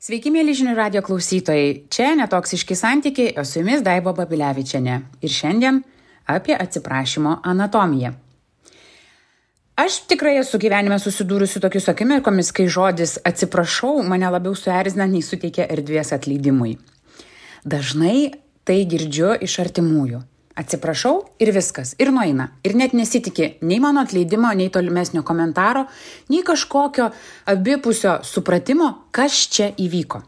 Sveiki, mėly žinių radijo klausytojai. Čia Netoksiški santykiai, o su jumis Daiva Babilevičienė. Ir šiandien apie atsiprašymo anatomiją. Aš tikrai esu gyvenime susidūrusi tokius akimirkomis, kai žodis atsiprašau mane labiau suerzina, nei suteikia erdvės atleidimui. Dažnai tai girdžiu iš artimųjų. Atsiprašau ir viskas, ir nueina. Ir net nesitiki nei mano atleidimo, nei tolimesnio komentaro, nei kažkokio abipusio supratimo, kas čia įvyko.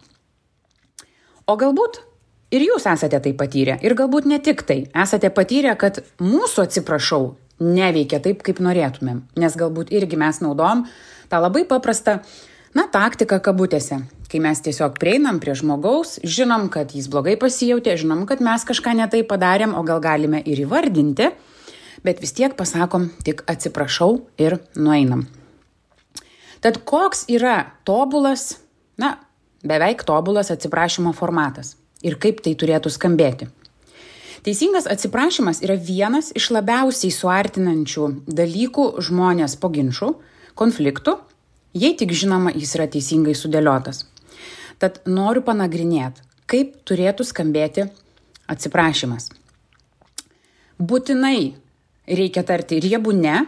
O galbūt ir jūs esate tai patyrę, ir galbūt ne tik tai. Esate patyrę, kad mūsų atsiprašau neveikia taip, kaip norėtumėm. Nes galbūt irgi mes naudojam tą labai paprastą, taktiką kabutėse. Kai mes tiesiog prieinam prie žmogaus, žinom, kad jis blogai pasijautė, žinom, kad mes kažką ne taip padarėm, o gal galime ir įvardinti, bet vis tiek pasakom tik atsiprašau ir nueinam. Tad koks yra tobulas, beveik tobulas atsiprašymo formatas ir kaip tai turėtų skambėti? Teisingas atsiprašymas yra vienas iš labiausiai suartinančių dalykų žmonės po ginčų, konfliktų, jei tik žinoma, jis yra teisingai sudėliotas. Tad noriu panagrinėti, kaip turėtų skambėti atsiprašymas. Būtinai reikia tarti riebų ne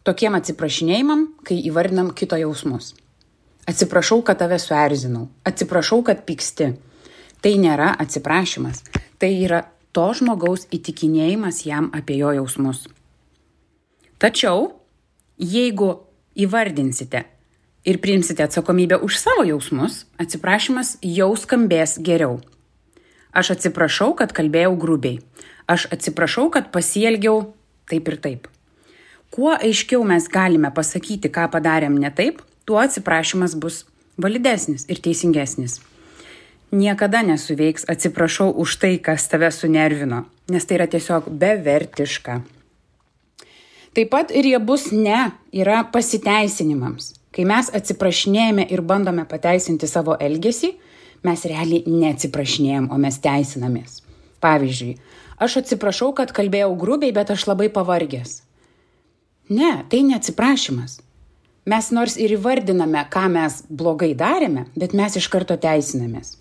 tokiem atsiprašinėjimam, kai įvardinam kito jausmus. Atsiprašau, kad tave suerzinau. Atsiprašau, kad pyksti. Tai nėra atsiprašymas. Tai yra to žmogaus įtikinėjimas jam apie jo jausmus. Tačiau, jeigu įvardinsite ir priimsite atsakomybę už savo jausmus, atsiprašymas jau skambės geriau. Aš atsiprašau, kad kalbėjau grubiai. Aš atsiprašau, kad pasielgiau taip ir taip. Kuo aiškiau mes galime pasakyti, ką padarėm ne taip, tuo atsiprašymas bus validesnis ir teisingesnis. Niekada nesuveiks atsiprašau už tai, kas tave sunervino, nes tai yra tiesiog bevertiška. Taip pat riebus ne yra pasiteisinimams. Kai mes atsiprašinėjame ir bandome pateisinti savo elgesį, mes realiai neatsiprašinėjom, o mes teisinamės. Pavyzdžiui, aš atsiprašau, kad kalbėjau grubiai, bet aš labai pavargęs. Ne, tai neatsiprašymas. Mes nors ir įvardiname, ką mes blogai darėme, bet mes iš karto teisinamės.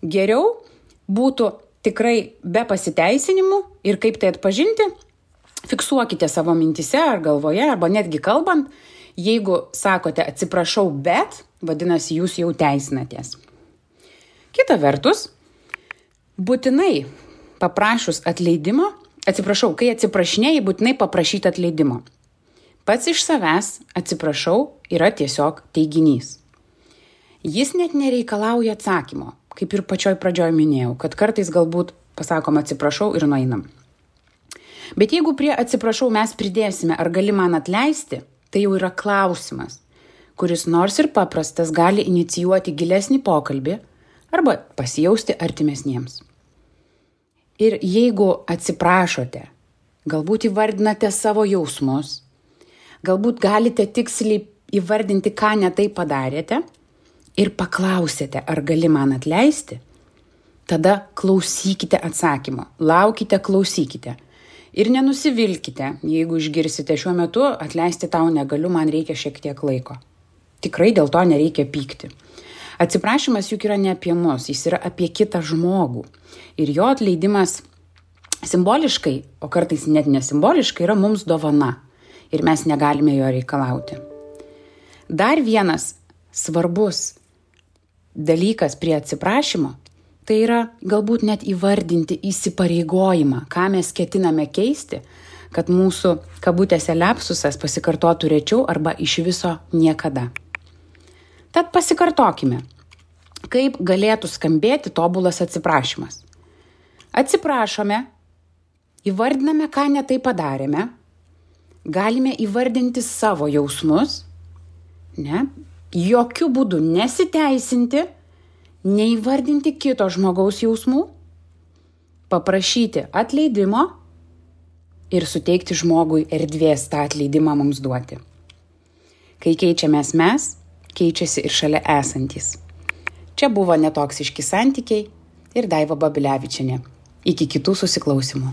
Geriau būtų tikrai be pasiteisinimų ir kaip tai atpažinti, fiksuokite savo mintise ar galvoje, arba netgi kalbant, jeigu sakote atsiprašau, bet, vadinasi, jūs jau teisinatės. Kita vertus, būtinai paprašus atleidimo, kai atsiprašinėjai, būtinai paprašyti atleidimo. Pats iš savęs atsiprašau yra tiesiog teiginys. Jis net nereikalauja atsakymo, kaip ir pačioj pradžioj minėjau, kad kartais galbūt pasakom atsiprašau ir nueinam. Bet jeigu prie atsiprašau mes pridėsime, ar gali man atleisti, tai jau yra klausimas, kuris nors ir paprastas gali inicijuoti gilesnį pokalbį arba pasijausti artimesniems. Ir jeigu atsiprašote, galbūt įvardinate savo jausmus, galbūt galite tiksliai įvardinti, ką ne taip padarėte ir paklausėte, ar gali man atleisti, tada klausykite atsakymo, laukite, klausykite. Ir nenusivilkite, jeigu išgirsite šiuo metu, atleisti tau negaliu, man reikia šiek tiek laiko. Tikrai dėl to nereikia pykti. Atsiprašymas juk yra ne apie mus, jis yra apie kitą žmogų. Ir jo atleidimas simboliškai, o kartais net nesimboliškai, yra mums dovana. Ir mes negalime jo reikalauti. Dar vienas svarbus dalykas prie atsiprašymo, tai yra galbūt net įvardinti įsipareigojimą, ką mes ketiname keisti, kad mūsų kabutėse lepsusas pasikartotų rečiau arba iš viso niekada. Tad pasikartokime, kaip galėtų skambėti tobulas atsiprašymas. Atsiprašome, įvardiname, ką ne taip padarėme, galime įvardinti savo jausmus, jokių būdų nesiteisinti, neįvardinti kito žmogaus jausmų, paprašyti atleidimo ir suteikti žmogui erdvės tą atleidimą mums duoti. Kai keičiamės mes, keičiasi ir šalia esantys. Čia buvo Netoksiški santykiai ir Daiva Babilevičienė. Iki kitų susiklausimų.